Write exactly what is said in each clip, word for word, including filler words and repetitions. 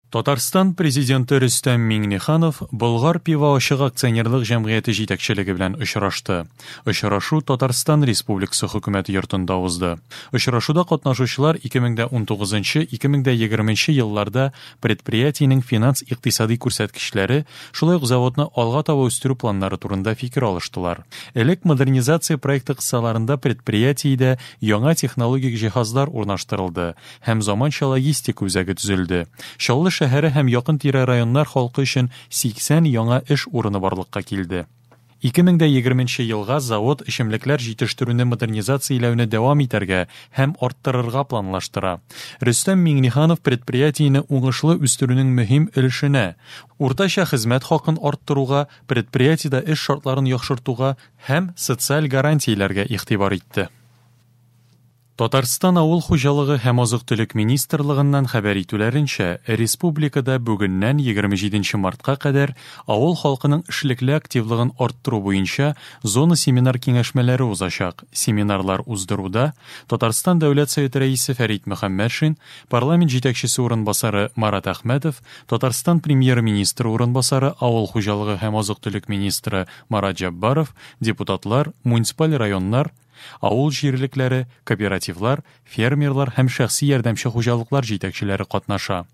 Татарстан Президенты Рөстәм Миңнеханов Болгар пиво ачык акционерлык җәмгыяте җитәкчелеге белән очрашты. Очрашу Татарстан Республикасы хөкүмәте йортында узды. Очрашуда катнашучылар ике мең дә унтугызынчы - ике мең дә егерменче елларда предприятиенең финанс-икътисади күрсәткечләре, шулай ук заводны алга таба үстерү планнары турында фикер алыштылар. Элек модернизация проекты кысаларында предприятиедә яңа технологик җиһазлар урнаштырылды һәм заманча логистика үзәге төзелде. Чаллы шәһәре һәм якын-тирә районнар халкы өчен сиксән яңа эш урыны барлыкка килде. Ике мең дә егерменче елга завод эчемлекләр җитештерүне модернизацияләүне дәвам итәргә һәм арттырырга планлаштыра. Рөстәм Миңнеханов предприятиене уңышлы үстерүнең мөһим өлешенә, уртача хезмәт хакын арттыруга, предприятиедә эш шартларын яхшыртуга һәм социаль гарантияләргә игътибар итте. Татарстан Авыл хуҗалыгы һәм азык-төлек министрлыгыннан хәбәр итүләренчә, республикада бүгеннән егерме җиденче мартка кадәр авыл халкының эшлекле активлыгын арттыру буенча зона семинар киңәшмәләре узачак. Семинарлар уздыруда Татарстан Дәүләт Советы рәисе Фәрит Мөхәммәтшин, парламент җитәкчесе урынбасары Марат Әхмәтов, Татарстан премьер-министры урынбасары Авыл хуҗалыгы һәм азык-төлек министры Марат Җәббаров, депутатлар, муниципаль районнар, авыл җирлекләре, кооперативлар, фермерлар һәм шәхси ярдәмче хуҗалыклар җитәкчеләре катнаша.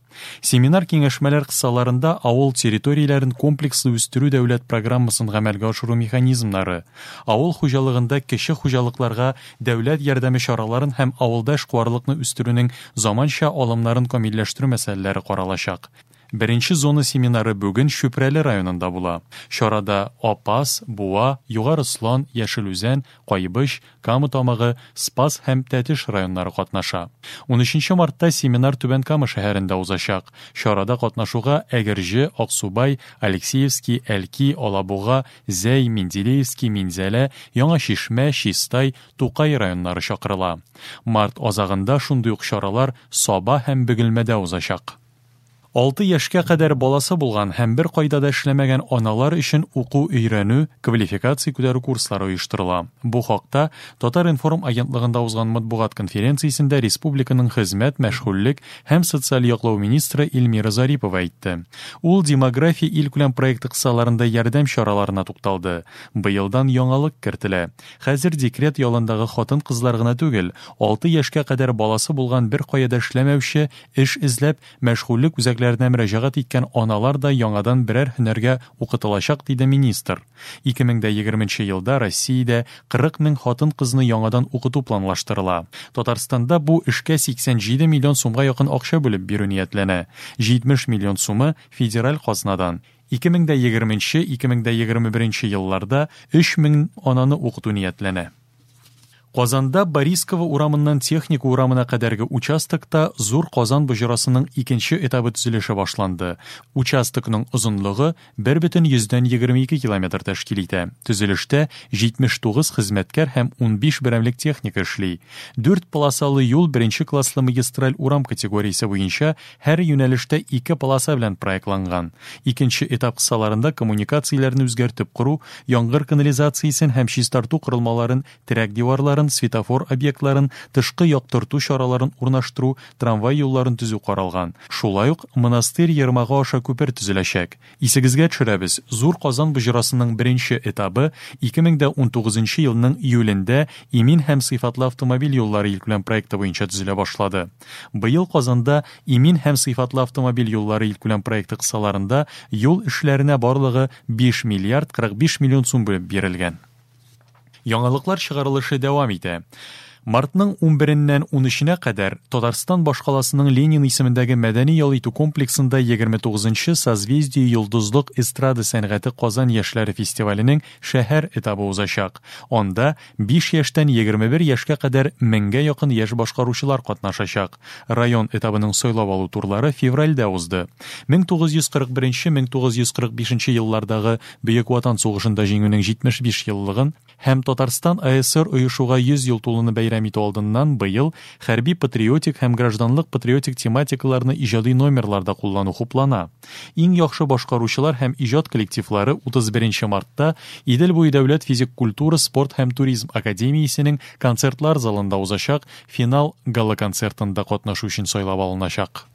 Семинар киңәшмәләр кысаларында авыл территорияләрен комплекслы үстерү дәүләт программасын гамәлгә ашыру механизмнары, авыл хуҗалыгында кече хуҗалыкларга дәүләт ярдәме чараларын һәм авылда эшкуарлыкны үстерүнең заманча алымнарын камилләштерү мәсьәләләре каралачак. Беренче зона семинары бүген Чүпрәле районында була. Чарада Апас, Буа, Югары Ослан, Яшел Үзән, Кайбыч, Кама Тамагы, Спас һәм Тәтеш районнары катнаша. Унөченче мартта семинар Түбән Кама шәһәрендә узачак. Чарада катнашуга Әгерҗе, Аксубай, Алексеевский, Әлки, Алабуга, Зәй, Менделеевский, Минзәлә, Яңа Чишмә, Чистай, Тукай районнары чакырыла. Март азагында шундый ук чаралар Саба һәм Бөгелмәдә узачак. Алты яшькә кадәр баласы булган һәм бер кайда да эшләмәгән аналар өчен уку өйрәнү, квалификация күтәрү курслары оештырыла. Бу хакта Татар-информ агентлыгында узган матбугат конференциясендә республиканың хезмәт, мәшгульлек һәм социаль яклау министры Эльмира Зарипова әйтте. Ул демография илкүләм проекты кысаларында ярдәм чараларына тукталды. Быелдан яңалык кертелә. Хәзер декрет ялындагы хатын-кызлар гына түгел, алты яшькә кадәр баласы булган бер кая да эшләмәүче, эш эзләп, мәшгульлек үзәкләренә мөрәҗәгать иткән аналар да яңадан берәр һөнәргә укытылачак, диде министр. Ике мең дә егерменче елда Россиядә кырык мең хатын-кызны яңадан укыту планлаштырыла. Татарстанда бу эшкә сиксән җиде миллион сумга якын акча бүлеп бирү ниятләнә. Җитмеш миллион сумы федераль казнадан. Ике мең дә егерменче, ике мең дә егерме беренче елларда өч мең ананы укыту ниятләнә. Казанда Борисково урамыннан Техника урамына кадәрге участокта Зур Казан боҗрасының икенче этабы төзелеше башланды. Участокның озынлыгы бер бөтен йөздән егерме ике километр тәшкил итә. Төзелештә җитмеш тугыз хезмәткәр һәм унбиш берәмлек техника эшли. Дүрт полосалы юл беренче класслы магистраль урам категориясе буенча һәр юнәлештә ике полоса белән проектланган. Икенче этап кысаларында коммуникацияләрне үзгәртеп кору, яңгыр канализациясен һәм чистарту корылмаларын, терәк диварларын, светофор объектларын, тышкы яктырту чараларын урнаштыру, трамвай юлларын төзү каралган. Шулай ук монастырь ермагы аша күпер төзеләчәк. Исегезгә төшерәбез, Зур Казан боҗрасының беренче этабы ике мең дә унтугызынчы елның июлендә имин һәм сыйфатлы автомобиль юллары илкүләм проекты буенча төзелә башлады. Быел Казанда имин һәм сыйфатлы автомобиль юллары илкүләм проекты кысаларында юл эшләренә барлыгы биш миллиард кырык биш миллион сум бүлеп бирелгән. Яңалыклар чыгарылышы дәвам итә. Мартның унбереннән унөченә кадәр Татарстан башкаласының Ленин исемендәге мәдәни ял итү комплексында егерме тугызынчы Созвездие йолдызлык эстрада сәнгате Казан яшьләре фестиваленең шәһәр этабы узачак. Анда биш яшьтән егерме бер яшькә кадәр меңгә якын яшь башкаручылар катнашачак. Район этабының сайлап алу турлары февральдә узды. Мең тугыз йөз кырык беренче, мең тугыз йөз кырык бишенче еллардагы Бөек Ватан сугышында җиңүнең җитмеш биш еллыгын һәм Татарстан А Эс Эс Эр оешуга йөз ел тулуны бәйрәм итү алдыннан быел хәрби патриотик һәм гражданлык патриотик тематикаларны иҗади номерларда куллану хуплана. Иң яхшы башкаручылар һәм иҗат коллективлары утыз беренче мартта Идел буе дәүләт физик культура, спорт һәм туризм академиясенең концертлар залында узачак финал гала-концертында катнашу өчен сайлап алыначак.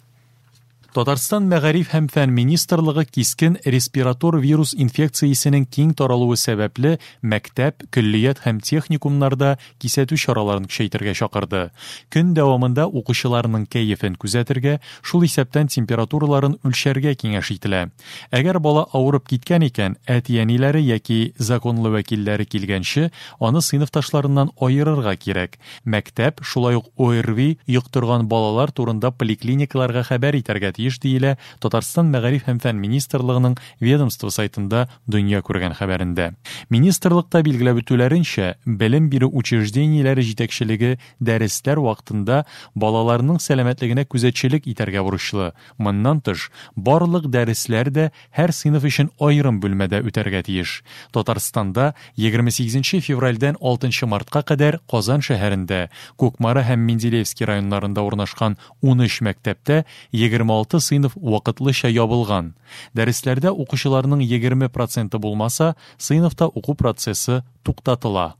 Татарстан Мәгариф һәм фән министрлыгы кискен респиратор вирус инфекциясенең киң таралуы сәбәпле мәктәп, көллият һәм техникумнарда кисәтү чараларын көчәйтергә чакырды. Көн дәвамында укучыларның кәефен күзәтергә, шул исәптән температураларын үлчәргә киңәш ителә. Әгәр бала авырып киткән икән, әти-әниләре яки законлы вәкилләре килгәнче, аны сыйныфташларыннан аерырга кирәк. Мәктәп шулай ук О Р В И йоктырган балалар турында поликлиникаларга хәбәр итәргә тиеш, диелә Татарстан Мәгариф һәм фән министрлыгының ведомство сайтында дөнья күргән хәбәрендә. Министрлыкта билгеләп үтүләренчә, белем бирү учреждениеләре җитәкчелеге дәресләр вакытында балаларның сәламәтлегенә күзәтчелек итәргә бурычлы. Моннан тыш, барлык дәресләр дә һәр сыйныф өчен аерым бүлмәдә үтәргә тиеш. Татарстанда егерме сигезенче февральдән алтынчы мартка кадәр Казан шәһәрендә, Кукмара һәм Менделеевский районнарында урнашкан унөч мәктәптә егерме алты сыйныф вакытлыча ябылган. Дәресләрдә укучыларның егерме проценты булмаса, сыйныфта уку процессы туктатыла.